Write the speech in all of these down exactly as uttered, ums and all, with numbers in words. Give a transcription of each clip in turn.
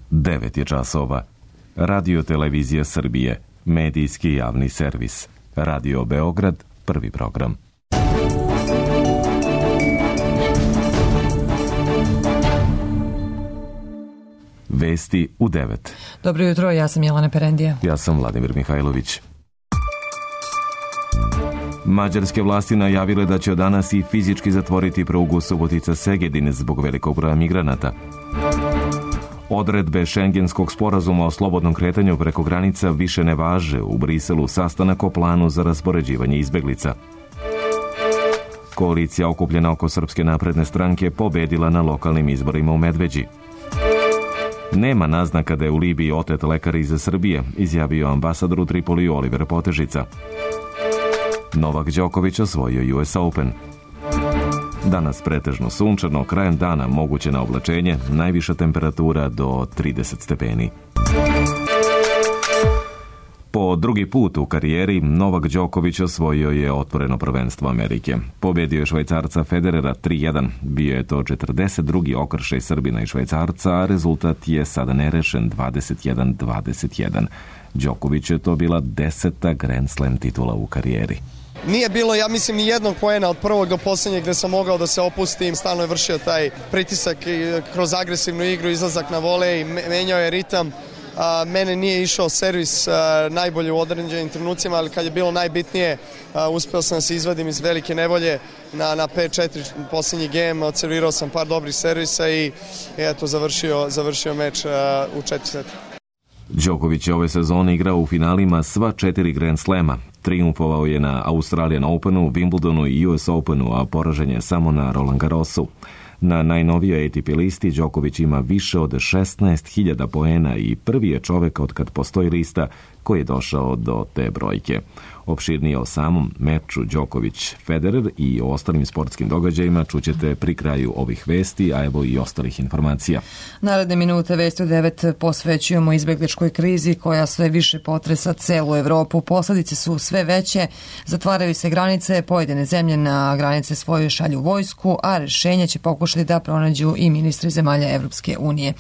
devet je časova. Radio Televizija Srbije, medijski javni servis. Radio Beograd, prvi program. Vesti u devet. Dobro jutro, ja sam Jelena Perendija. Ja sam Vladimir Mihajlović. Mađarske vlasti najavile da će od danas i fizički zatvoriti prugu Subotica-Segedin zbog velikog broja migranata. Odredbe Šengenskog sporazuma o slobodnom kretanju preko granica više ne važe. U Briselu sastanak o planu za raspoređivanje izbeglica. Koalicija okupljena oko Srpske napredne stranke pobedila na lokalnim izborima u Medveđi. Nema naznaka da je u Libiji otet lekar iz Srbije, izjavio ambasador u Tripoliju Oliver Potežica. Novak Đoković osvojio U S Open. Danas pretežno sunčano, krajem dana moguće na oblačenje, najviša temperatura do trideset stepeni. Po drugi put u karijeri Novak Đoković osvojio je otvoreno prvenstvo Amerike. Pobedio je Švajcarca Federera tri jedan. Bio je to četrdeset drugi okršaj Srbina i Švajcarca, a rezultat je sada nerešen dvadeset jedan dvadeset jedan. Đoković je to bila deseta Grand Slam titula u karijeri. Nije bilo, ja mislim, ni jednog poena od prvog do posljednjeg gde sam mogao da se opustim. Stalno je vršio taj pritisak kroz agresivnu igru, izlazak na volej, menjao je ritam. A, mene nije išao servis a, najbolje u određenim trenucima, ali kad je bilo najbitnije, a, uspeo sam da se izvadim iz velike nevolje na, na pet četiri posljednji game, odservirao sam par dobrih servisa i, i eto, završio, završio meč a, u četiri seta. Đoković je ove sezone igrao u finalima sva četiri Grand Slema. Triumfovao je na Australian Openu, Wimbledonu i U S Openu, a poražen je samo na Roland Garrosu. Na najnovijoj A T P listi Đoković ima više od šesnaest hiljada poena i prvi je čovek od kad postoji lista koji je došao do te brojke. Opširnije o samom meču Đoković-Federer i o ostalim sportskim događajima čućete pri kraju ovih vesti, a evo i ostalih informacija. Naredne minute Vesti u devet posvećujemo izbegličkoj krizi koja sve više potresa celu Evropu. Posledice su sve veće, zatvaraju se granice, pojedine zemlje na granice svoje šalju vojsku, a rešenja će pokušati da pronađu i ministri zemalja Evropske unije.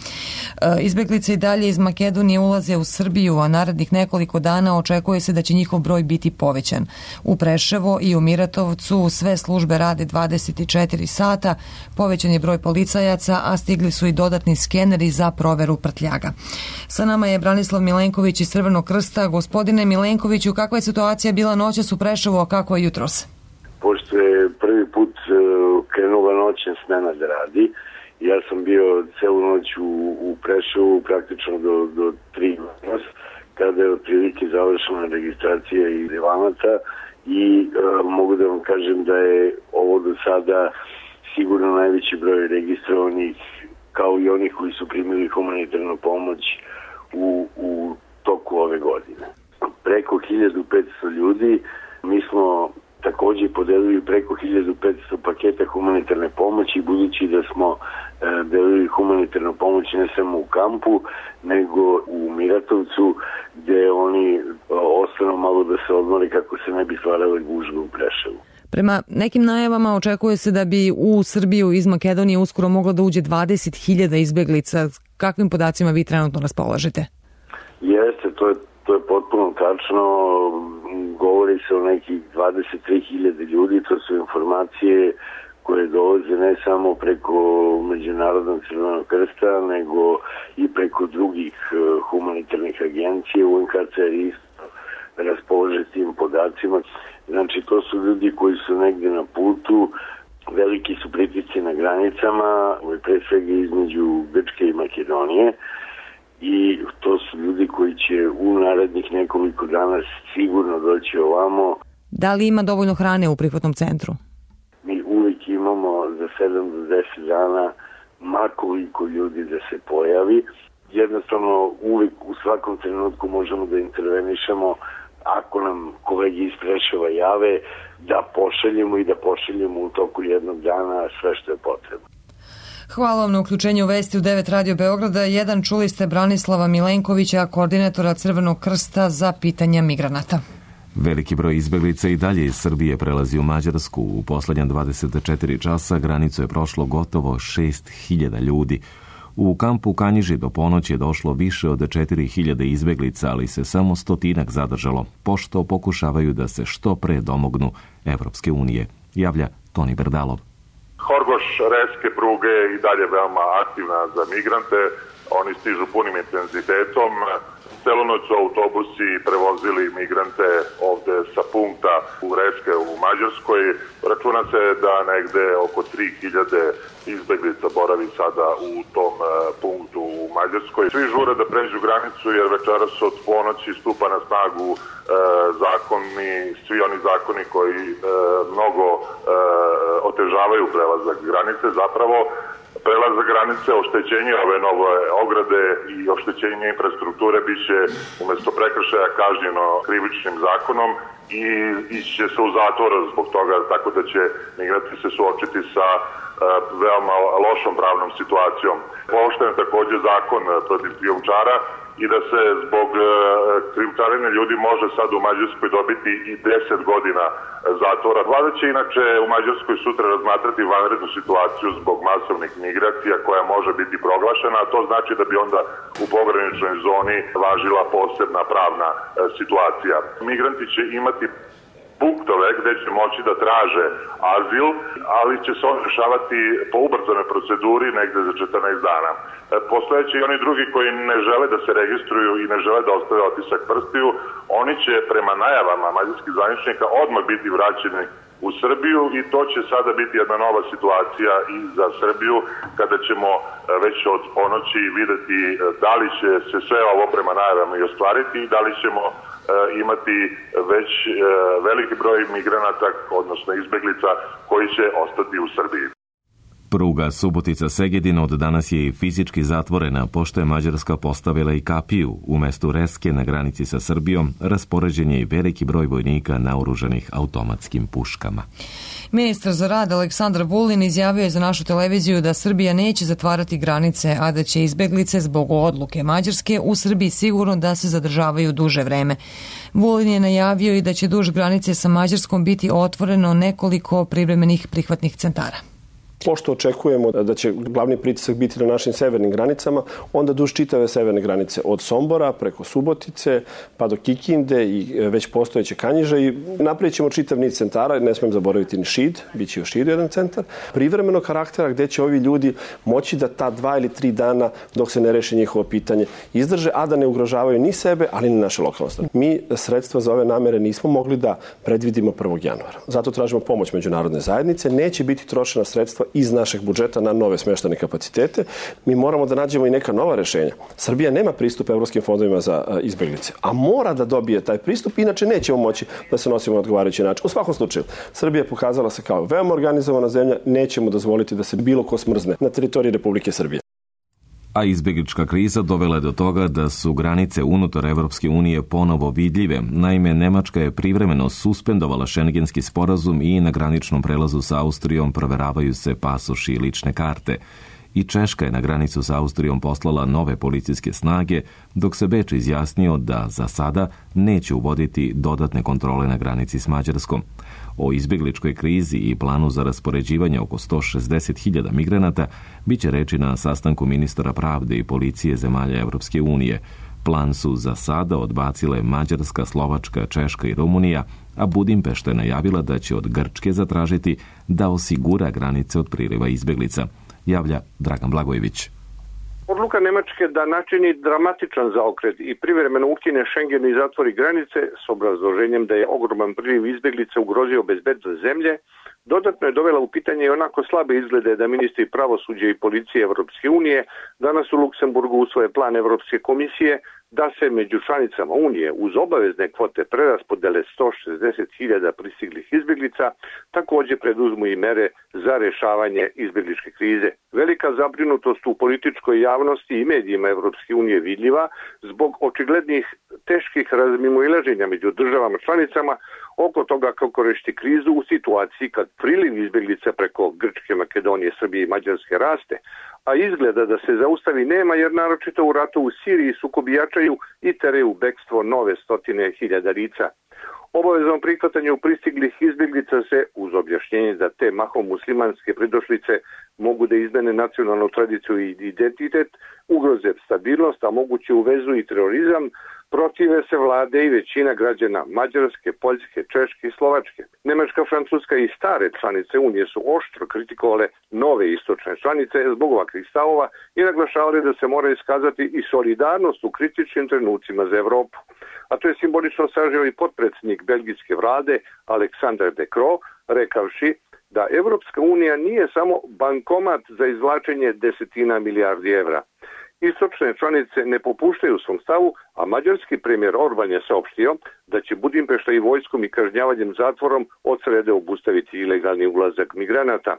Izbeglice i dalje iz Makedonije ulaze u Srbiju, a narednih nekoliko dana očekuje se da će njihov broj biti povećan. U Preševo i u Miratovcu sve službe rade dvadeset četiri sata, povećan je broj policajaca, a stigli su i dodatni skeneri za proveru prtljaga. Sa nama je Branislav Milenković iz Crvenog krsta. Gospodine Milenkoviću, kakva je situacija bila noćas u Preševu, a kako je jutros? Pošto je prvi put krenula noćna smena da radi, ja sam bio celu noć u, u Preševu praktično do, do tri noć, kada je otprilike završena registracija i relevanaca i e, mogu da vam kažem da je ovo do sada sigurno najveći broj registrovanih, kao i onih koji su primili humanitarnu pomoć u, u toku ove godine. Preko hiljadu petsto ljudi, mi smo takođe podelili preko hiljadu petsto paketa humanitarne pomoći, budući da smo e, delili humanitarnu pomoć ne samo u kampu, nego u Miratovcu, gde oni e, ostanu malo da se odmore kako se ne bi stvarale gužve u Preševu. Prema nekim najavama očekuje se da bi u Srbiju iz Makedonije uskoro moglo da uđe dvadeset hiljada izbeglica. Kakvim podacima vi trenutno raspolažete? Jeste, to je, to je potpuno tačno. Govori se o nekih dvadeset tri hiljade ljudi, to su informacije koje dolaze ne samo preko Međunarodnog Crvenog krsta, nego i preko drugih humanitarnih agencija. U N H C R isto raspolaže tim podacima. Znači, to su ljudi koji su negde na putu, veliki su pritisci na granicama, pre svega između Grčke i Makedonije, i to su ljudi koji će u narednih nekoliko dana sigurno doći ovamo. Da li ima dovoljno hrane u prihvatnom centru? Mi uvijek imamo za sedam do deset dana makoliko ljudi da se pojavi. Jednostavno uvijek u svakom trenutku možemo da intervenišemo ako nam kolegi iz Preševa jave, da pošaljemo i da pošaljemo u toku jednog dana sve što je potrebno. Hvala vam na uključenju u Vesti u devet Radio Beograda. Jedan čuli ste Branislava Milenkovića, koordinatora Crvenog krsta za pitanja migranata. Veliki broj izbeglica i dalje iz Srbije prelazi u Mađarsku. U poslednja dvadeset četiri časa granicu je prošlo gotovo šest hiljada ljudi. U kampu Kanjiži do ponoći je došlo više od četiri hiljade izbeglica, ali se samo stotinak zadržalo, pošto pokušavaju da se što pre domognu Evropske unije, javlja Toni Berdalov. Horgoš-Reske pruge je i dalje veoma aktivna za migrante. Oni stižu punim intenzitetom. Celu noć su autobusi prevozili migrante ovde sa punkta u Reske u Mađarskoj. Računa se da negde oko tri hiljade izbeglica boravi sada u tom punktu u Mađarskoj. Svi žure da pređu granicu jer večeras od ponoći stupa na snagu e, zakoni, svi oni zakoni koji e, mnogo e, otežavaju prelazak granice. Zapravo prelazak granice, oštećenje ove nove ograde i oštećenje infrastrukture biće umesto prekršaja kažnjeno krivičnim zakonom i ići će se u zatvor zbog toga, tako da će migranti se suočiti sa uh, veoma lošom pravnom situacijom. Pooštren je takođe zakon protiv krijumčara i da se zbog uh, krijumčarenja ljudi može sad u Mađarskoj dobiti i deset godina zatvora. Vlada će inače u Mađarskoj sutra razmatrati vanrednu situaciju zbog masovnih migracija koja može biti proglašena, a to znači da bi onda u pograničnoj zoni važila posebna pravna uh, situacija. Migranti će imati punktove gde će moći da traže azil, ali će se on rešavati po ubrzanoj proceduri negde za četrnaest dana. Postojeće i oni drugi koji ne žele da se registruju i ne žele da ostave otisak prstiju, oni će prema najavama mađarskih zvaničnika odmah biti vraćeni u Srbiju i to će sada biti jedna nova situacija i za Srbiju kada ćemo već od ponoći videti da li će se sve ovo prema najavama i ostvariti i da li ćemo imati već veliki broj migranata, odnosno izbeglica koji će ostati u Srbiji. Pruga Subotica-Segedin od danas je i fizički zatvorena, pošto je Mađarska postavila i kapiju. Umesto Reske na granici sa Srbijom raspoređen je i veliki broj vojnika naoružanih automatskim puškama. Ministar za rad Aleksandar Vulin izjavio je za našu televiziju da Srbija neće zatvarati granice, a da će izbeglice zbog odluke Mađarske u Srbiji sigurno da se zadržavaju duže vreme. Vulin je najavio i da će duž granice sa Mađarskom biti otvoreno nekoliko privremenih prihvatnih centara. Pošto očekujemo da će glavni pritisak biti na našim severnim granicama, onda duž čitave severne granice od Sombora preko Subotice pa do Kikinde i već postojeće Kanjiže i napravit ćemo čitav niz centara, ne smijem zaboraviti ni Šid, bit će u Šidu jedan centar, privremenog karaktera gde će ovi ljudi moći da ta dva ili tri dana dok se ne reši njihovo pitanje izdrže, a da ne ugrožavaju ni sebe, ali ni naše lokalno stanovništvo. Mi sredstva za ove namere nismo mogli da predvidimo prvog januara. Zato tražimo pomoć međunarodne zajednice, neće biti trošena sredstva iz našeg budžeta na nove smeštajne kapacitete. Mi moramo da nađemo i neka nova rešenja. Srbija nema pristup evropskim fondovima za izbeglice, a mora da dobije taj pristup, inače nećemo moći da se nosimo na odgovarajući način. U svakom slučaju, Srbija je pokazala se kao veoma organizovana zemlja, nećemo dozvoliti da se bilo ko smrzne na teritoriji Republike Srbije. A izbeglička kriza dovela je do toga da su granice unutar Evropske unije ponovo vidljive. Naime, Nemačka je privremeno suspendovala šengenski sporazum i na graničnom prelazu sa Austrijom proveravaju se pasoši i lične karte. I Češka je na granicu sa Austrijom poslala nove policijske snage, dok se Beč izjasnio da za sada neće uvoditi dodatne kontrole na granici s Mađarskom. O izbegličkoj krizi i planu za raspoređivanje oko sto šezdeset hiljada migranata biće reči na sastanku ministara pravde i policije zemalja Evropske unije. Plan su za sada odbacile Mađarska, Slovačka, Češka i Rumunija, a Budimpešta je najavila da će od Grčke zatražiti da osigura granice od priliva izbeglica, javlja Dragan Blagojević. Odluka Nemačke da načini dramatičan zaokret i privremeno ukine Schengen i zatvori granice s obrazloženjem da je ogroman priliv izbeglica ugrozio bezbednost zemlje, dodatno je dovela u pitanje i onako slabe izglede da ministri pravosuđa i policije Evropske unije danas u Luksemburgu usvoje plan Evropske komisije da se među članicama Unije uz obavezne kvote preraspodele sto šezdeset hiljada pristiglih izbeglica takođe preduzmu i mere za rešavanje izbegličke krize. Velika zabrinutost u političkoj javnosti i medijima Evropske unije vidljiva zbog očiglednih teških razmimoilaženja među državama članicama oko toga kako rešiti krizu u situaciji kad priliv izbeglica preko Grčke, Makedonije, Srbije i Mađarske raste, a izgleda da se zaustavi nema jer naročito u ratu u Siriji sukobi jačaju i tere u bekstvo nove stotine hiljada lica. Obavezom prihvatanju pristiglih izbjeglica se, uz objašnjenje da te mahom muslimanske pridošlice mogu da izmene nacionalnu tradiciju i identitet, ugroze stabilnost, a moguće uvezu i terorizam, protive se vlade i većina građana Mađarske, Poljske, Češke i Slovačke. Nemačka, Francuska i stare članice Unije su oštro kritikovale nove istočne članice zbog ovakvih stavova i naglašavali da se mora iskazati i solidarnost u kritičnim trenucima za Evropu. A to je simbolično sažeo i potpredsjednik belgijske vlade Alexander De Croo, rekavši da Evropska unija nije samo bankomat za izvlačenje desetina milijardi evra. Istočne članice ne popuštaju svom stavu, a mađarski premijer Orban je saopštio da će Budimpešta i vojskom i kažnjavanjem zatvorom od srede obustaviti ilegalni ulazak migranata.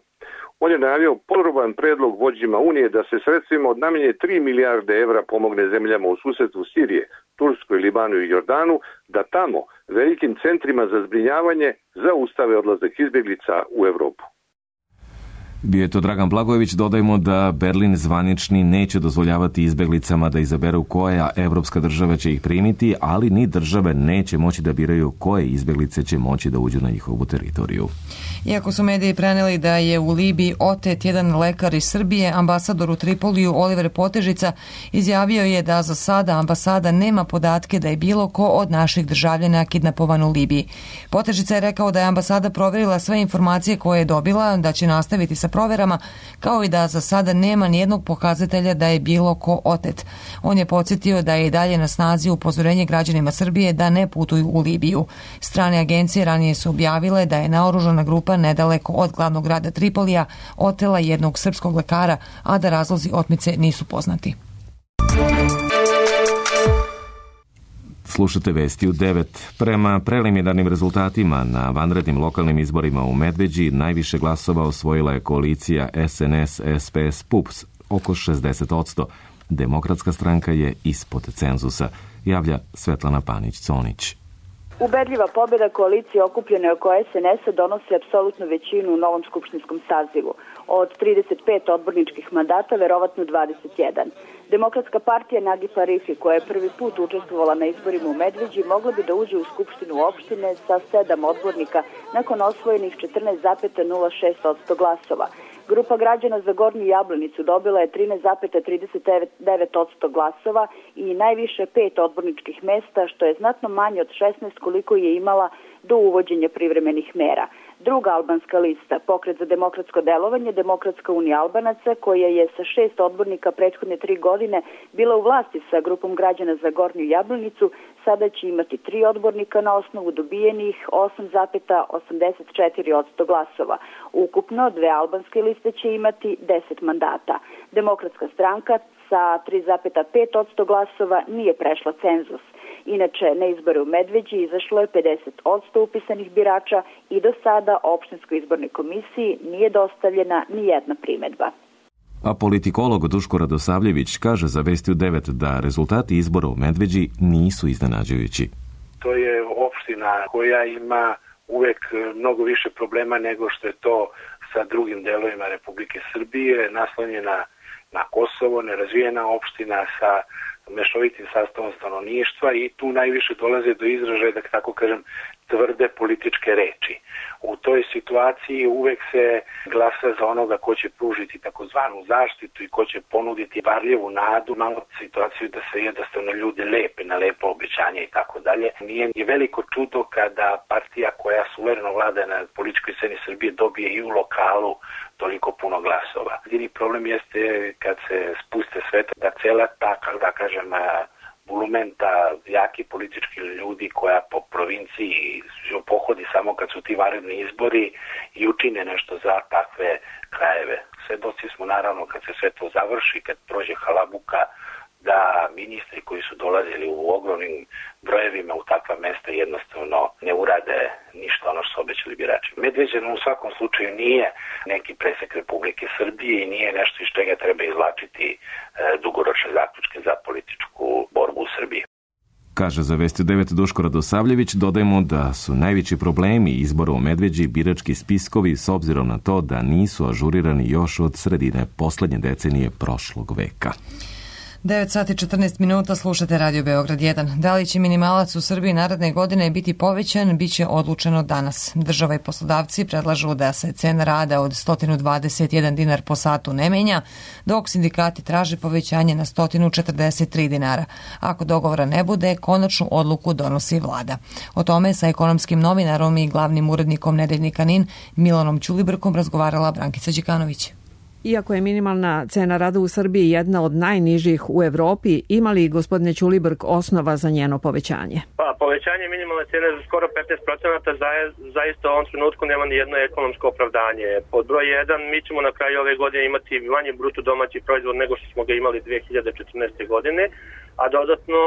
On je najavio podroban predlog vođima Unije da se sredstvima od najmanje tri milijarde evra pomogne zemljama u susedstvu Sirije, Turskoj, Libanu i Jordanu, da tamo, velikim centrima za zbrinjavanje, zaustave odlazak izbjeglica u Evropu. Bio je to Dragan Blagojević. Dodajmo da Berlin zvanični neće dozvoljavati izbjeglicama da izaberu koja evropska država će ih primiti, ali ni države neće moći da biraju koje izbjeglice će moći da uđu na njihovu teritoriju. Iako su mediji preneli da je u Libiji otet jedan lekar iz Srbije, ambasador u Tripoliju Oliver Potežica izjavio je da za sada ambasada nema podatke da je bilo ko od naših državljana kidnapovan u Libiji. Potežica je rekao da je ambasada provjerila sve informacije koje je dobila, da će nastaviti sa proverama, kao i da za sada nema nijednog pokazatelja da je bilo ko otet. On je podsjetio da je i dalje na snazi upozorenje građanima Srbije da ne putuju u Libiju. Strane agencije ranije su objavile da je naoružana grupa nedaleko od glavnog grada Tripolija otela jednog srpskog lekara, a da razlozi otmice nisu poznati. Slušate vesti u devet. Prema preliminarnim rezultatima na vanrednim lokalnim izborima u Medveđi najviše glasova osvojila je koalicija S N S S P S P U P S, oko šezdeset posto. Demokratska stranka je ispod cenzusa, javlja Svetlana Panić-Conić. Ubedljiva pobjeda koalicije okupljene oko S N S-a donosi apsolutnu većinu u novom skupštinskom sazivu. Od trideset pet odborničkih mandata, verovatno dvadeset jedan. Demokratska partija Nagipa Rifi, koja je prvi put učestvovala na izborima u Medveđi, mogla bi da uđe u skupštinu opštine sa sedam odbornika nakon osvojenih četrnaest zarez nula šest posto glasova. Grupa građana za Gornju Jablanicu dobila je trinaest zarez trideset devet posto glasova i najviše pet odborničkih mesta, što je znatno manje od šesnaest koliko je imala do uvođenja privremenih mera. Druga albanska lista, Pokret za demokratsko delovanje, Demokratska unija Albanaca, koja je sa šest odbornika prethodne tri godine bila u vlasti sa grupom građana za Gornju Jablanicu, sada će imati tri odbornika na osnovu dobijenih osam zarez osamdeset četiri posto glasova. Ukupno dve albanske liste će imati deset mandata. Demokratska stranka sa tri zarez pet posto glasova nije prešla cenzus. Inače, na izbore u Medveđi izašlo je pedeset posto upisanih birača i do sada opštinskoj izbornoj komisiji nije dostavljena ni jedna primedba. A politikolog Duško Radosavljević kaže za Vesti u devet da rezultati izbora u Medveđi nisu iznenađujući. To je opština koja ima uvek mnogo više problema nego što je to sa drugim delovima Republike Srbije, naslonjena na Kosovo, nerazvijena opština sa mešovitim sastavom stanovništva i tu najviše dolaze do izražaja, da tako kažem, tvrde političke reči. U toj situaciji uvek se glasa za onoga ko će pružiti takozvanu zaštitu i ko će ponuditi varljivu nadu, malo situaciju da se jednostavno ljude lepe na lepo obećanje i tako dalje. Nije ni veliko čudo kada partija koja suvereno vlada na političkoj sceni Srbije dobije i u lokalu toliko puno glasova. Jedini problem jeste kad se spuste sve da cela ta, da kažem, bulumenta jaki politički ljudi koja po provinciji pohodi samo kad su ti vanredni izbori i učine nešto za takve krajeve. Svedoci smo naravno kad se sve to završi, kad prođe halabuka, da ministri koji su dolazili u ogromnim brojevima u takva mesta jednostavno ne urade ništa ono što su obećali birači. Medveđa u svakom slučaju nije neki presek Republike Srbije i nije nešto iz čega treba izvlačiti e, dugoročne zaključke za političku borbu u Srbiji. Kaže za Vesti devet Duško Radosavljević. Dodajmo da su najveći problemi izbora u Medveđi birački spiskovi s obzirom na to da nisu ažurirani još od sredine poslednje decenije prošlog veka. devet sati četrnaest minuta, slušate Radio Beograd jedan. Da li će minimalac u Srbiji naredne godine biti povećan, bit će odlučeno danas. Država i poslodavci predlažu da se cena rada od sto dvadeset jedan dinar po satu ne menja, dok sindikati traže povećanje na sto četrdeset tri dinara. Ako dogovora ne bude, konačnu odluku donosi vlada. O tome sa ekonomskim novinarom i glavnim urednikom Nedeljnika Nin Milanom Ćulibrkom razgovarala Brankica Đikanović. Iako je minimalna cena rada u Srbiji jedna od najnižih u Evropi, ima li, gospodine Ćulibrk, osnova za njeno povećanje? Pa, povećanje minimalne cene za skoro petnaest procenata zaista u ovom trenutku nema ni jedno ekonomsko opravdanje. Pod broj jedan, mi ćemo na kraju ove godine imati manji bruto domaći proizvod nego što smo ga imali dve hiljade četrnaeste. godine, a dodatno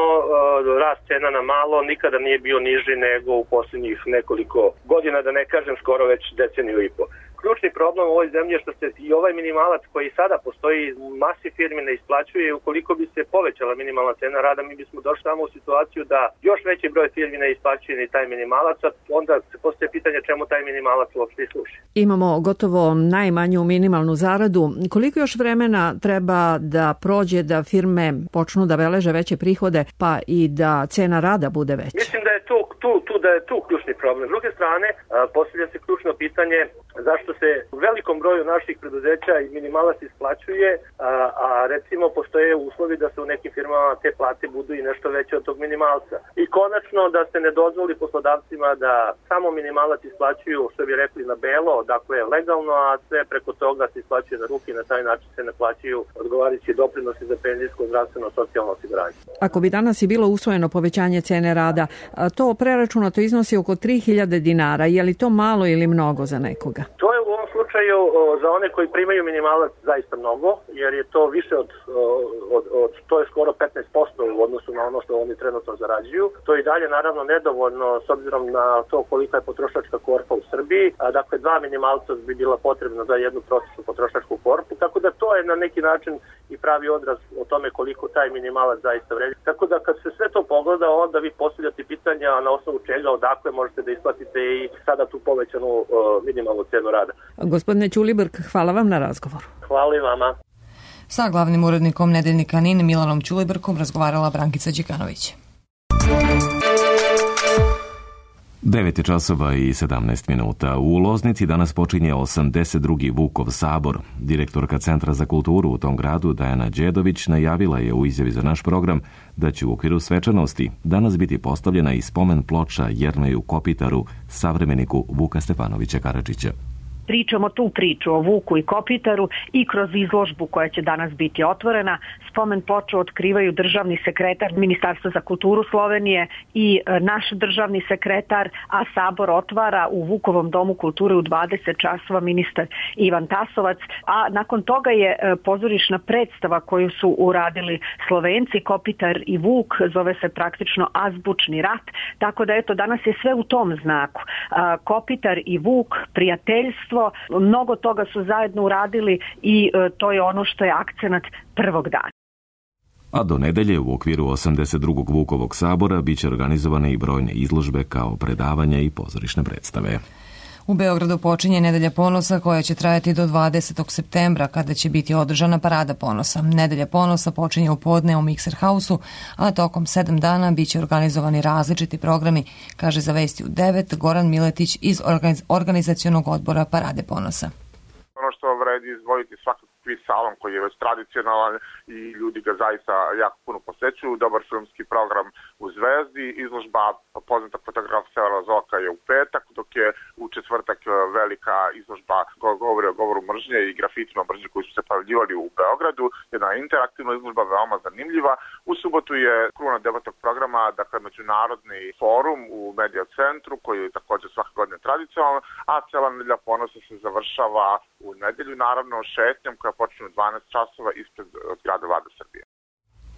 rast cena na malo nikada nije bio niži nego u posljednjih nekoliko godina, da ne kažem skoro već deceniju i po. Ključni problem u ovoj zemlji je što se i ovaj minimalac koji sada postoji u masi firmi ne isplaćuje. Ukoliko bi se povećala minimalna cena rada, mi bismo došli tamo u situaciju da još veći broj firmi ne isplaćuje ni taj minimalac, a onda se postoje pitanje čemu taj minimalac uopšte služi. Imamo gotovo najmanju minimalnu zaradu. Koliko još vremena treba da prođe da firme počnu da beleže veće prihode, pa i da cena rada bude veća? Mislim da je tu, tu, tu, da je tu ključni problem. S druge strane, postavlja se ključno pitanje zašto se u velikom broju naših preduzeća i minimalac isplaćuje, a, a recimo postoje uslovi da se u nekim firmama te plate budu i nešto veće od tog minimalca. I konačno da se ne dozvoli poslodavcima da samo minimalac isplaćuju, što bi rekli, na belo, dakle legalno, a sve preko toga se isplaćuje na ruke i na taj način se ne plaćaju odgovarajući doprinosi za penzijsko, zdravstveno, socijalno osiguranje. Ako bi danas i bilo usvojeno povećanje cene rada, to preračunato iznosi oko tri hiljade dinara. Je li to malo ili mnogo za nekoga? To je u ovom slučaju za one koji primaju minimalac zaista mnogo, jer je to više od, od, od to je skoro petnaest posto u odnosu na ono što oni trenutno zarađuju. To je i dalje naravno nedovoljno s obzirom na to kolika je potrošačka korpa u Srbiji, a dakle dva minimalca bi bila potrebna za jednu prosječnu potrošačku korpu, tako da to je na neki način i pravi odraz o tome koliko taj minimalac zaista vredi. Tako da kad se sve to pogleda, onda vi postavljate pitanja na osnovu čega, odakle možete da isplatite i sada tu povećanu uh, minimalnu cenu rada. Gospodine Ćulibrk, hvala vam na razgovoru. Hvala i vama. Sa glavnim urednikom Nedeljnika Nin Milanom Ćulibrkom razgovarala Brankica Đikanović. devet časova i sedamnaest minuta. U Loznici danas počinje osamdeset drugi Vukov sabor. Direktorka Centra za kulturu u tom gradu, Dajana Đedović, najavila je u izjavi za naš program da će u okviru svečanosti danas biti postavljena i spomen ploča Jerneju Kopitaru, savremeniku Vuka Stefanovića Karadžića. Pričamo tu priču o Vuku i Kopitaru i kroz izložbu koja će danas biti otvorena. Spomen ploču otkrivaju državni sekretar Ministarstva za kulturu Slovenije i naš državni sekretar, a sabor otvara u Vukovom domu kulture u dvadeset časova ministar Ivan Tasovac, a nakon toga je pozorišna predstava koju su uradili Slovenci, Kopitar i Vuk, zove se praktično Azbučni rat, tako da eto danas je sve u tom znaku. Kopitar i Vuk, prijateljstvo, mnogo toga su zajedno uradili i to je ono što je akcenat prvog dana. A do nedelje u okviru osamdeset drugog Vukovog sabora biće organizovane i brojne izložbe kao predavanja i pozorišne predstave. U Beogradu počinje Nedelja ponosa koja će trajati do dvadesetog septembra kada će biti održana Parada ponosa. Nedelja ponosa počinje u podne u Mikser Hausu, a tokom sedam dana biće organizovani različiti programi, kaže za Vesti u devet Goran Miletić iz organizacionog odbora Parade ponosa. Ono što vredi izdvojiti svakako kviz salon koji je već tradicionalan i ljudi ga zaista jako puno posećuju. Dobar filmski program u Zvezdi, izložba poznatog fotografa Severa Zoka je u petak, dok je u četvrtak velika izložba govori o govoru mržnje i grafitima mržnje koji su se pojavljivali u Beogradu. Jedna interaktivna izložba veoma zanimljiva. U subotu je kruna debatnog programa, dakle međunarodni forum u Medija centru koji je također svake godine tradicionalan, a cela Nedelja ponosa se završava u nedelju, naravno šetnjom koja počne u dvanaest časova ispred zgrade Vlade Srbije.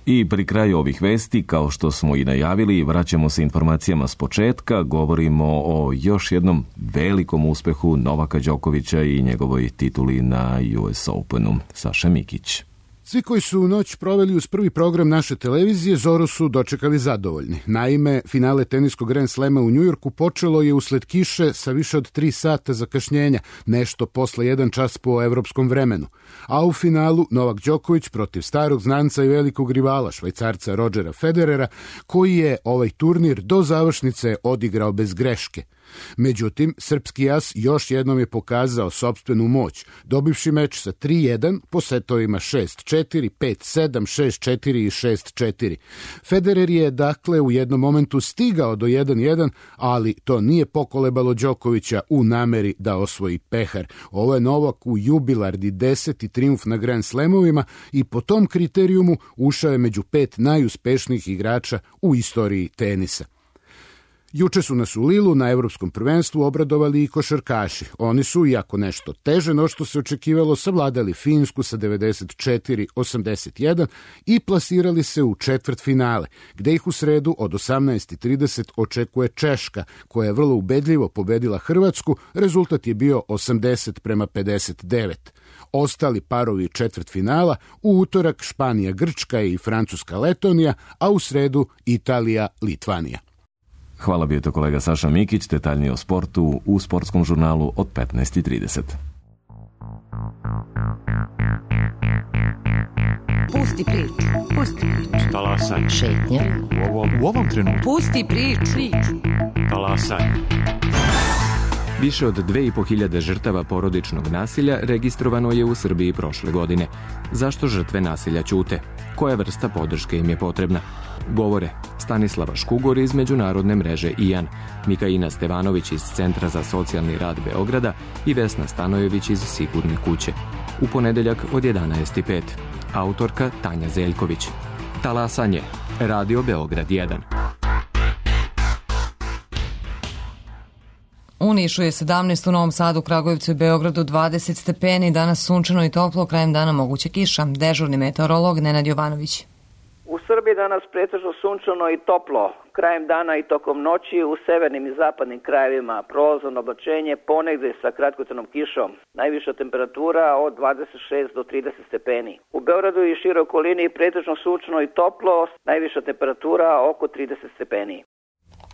I pri kraju ovih vesti, kao što smo i najavili, vraćamo se informacijama s početka, govorimo o još jednom velikom uspehu Novaka Đokovića i njegovoj tituli na U S Openu. Saša Mikić. Svi koji su u noć proveli uz prvi program naše televizije zoru su dočekali zadovoljni. Naime, finale teniskog Grand Slema u Njujorku počelo je usled kiše sa više od tri sata zakašnjenja, nešto posle jedan čas po evropskom vremenu. A u finalu Novak Đoković protiv starog znanca i velikog rivala Švajcarca Rodgera Federera, koji je ovaj turnir do završnice odigrao bez greške. Međutim, srpski as još jednom je pokazao sopstvenu moć, dobivši meč sa tri jedan po setovima šest četiri, pet sedam, šest četiri i šest četiri. Federer je dakle u jednom momentu stigao do jedan jedan, ali to nije pokolebalo Đokovića u nameri da osvoji pehar. Ovo je Novak u jubilarni deseti trijumf na Grand Slamovima i po tom kriterijumu ušao je među pet najuspešnijih igrača u istoriji tenisa. Juče su nas u Lilu na Evropskom prvenstvu obradovali i košarkaši. Oni su, iako nešto teže no što se očekivalo, savladali Finsku sa devedeset četiri osamdeset jedan i plasirali se u četvrt finale, gde ih u sredu od osamnaest trideset očekuje Češka, koja je vrlo ubedljivo pobedila Hrvatsku. Rezultat je bio osamdeset prema pedeset devet. Ostali parovi četvrt finala u utorak Španija Grčka i Francuska Letonija, a u sredu Italija Litvanija. Hvala, bio je to kolega Saša Mikić, detaljnije o sportu u sportskom žurnalu od petnaest trideset. Pusti priču, pusti priču. Talasaj. Šetnja. U ovom, u ovom trenutku. Pusti priču. Talasaj. Više od dve i po hiljade žrtava porodičnog nasilja registrovano je u Srbiji prošle godine. Zašto žrtve nasilja ćute? Koja vrsta podrške im je potrebna? Govore Stanislava Škugor iz međunarodne mreže I A N, Mikaina Stevanović iz Centra za socijalni rad Beograda i Vesna Stanojević iz Sigurne kuće. U ponedeljak od jedanaest i pet. Autorka Tanja Zeljković. Talasanje. Radio Beograd jedan. U Nišu je sedamnaest, u Novom Sadu, Kragujevcu i Beogradu dvadeset stepeni, danas sunčano i toplo, krajem dana moguće kiša. Dežurni meteorolog Nenad Jovanović. U Srbiji danas pretežno sunčano i toplo. Krajem dana i tokom noći u severnim i zapadnim krajevima prolazno oblačenje, ponegde sa kratkotrajnom kišom. Najviša temperatura od dvadeset šest do trideset stepeni. U Beogradu i široj okolini pretežno sunčano i toplo, najviša temperatura oko trideset stepeni.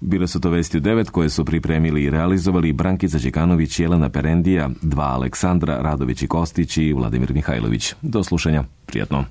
Bile su to vesti u devet koje su pripremili i realizovali Brankica Đekanović, Jelena Perendija, dva Aleksandra, Radović i Kostić i Vladimir Mihajlović. Do slušanja. Prijatno.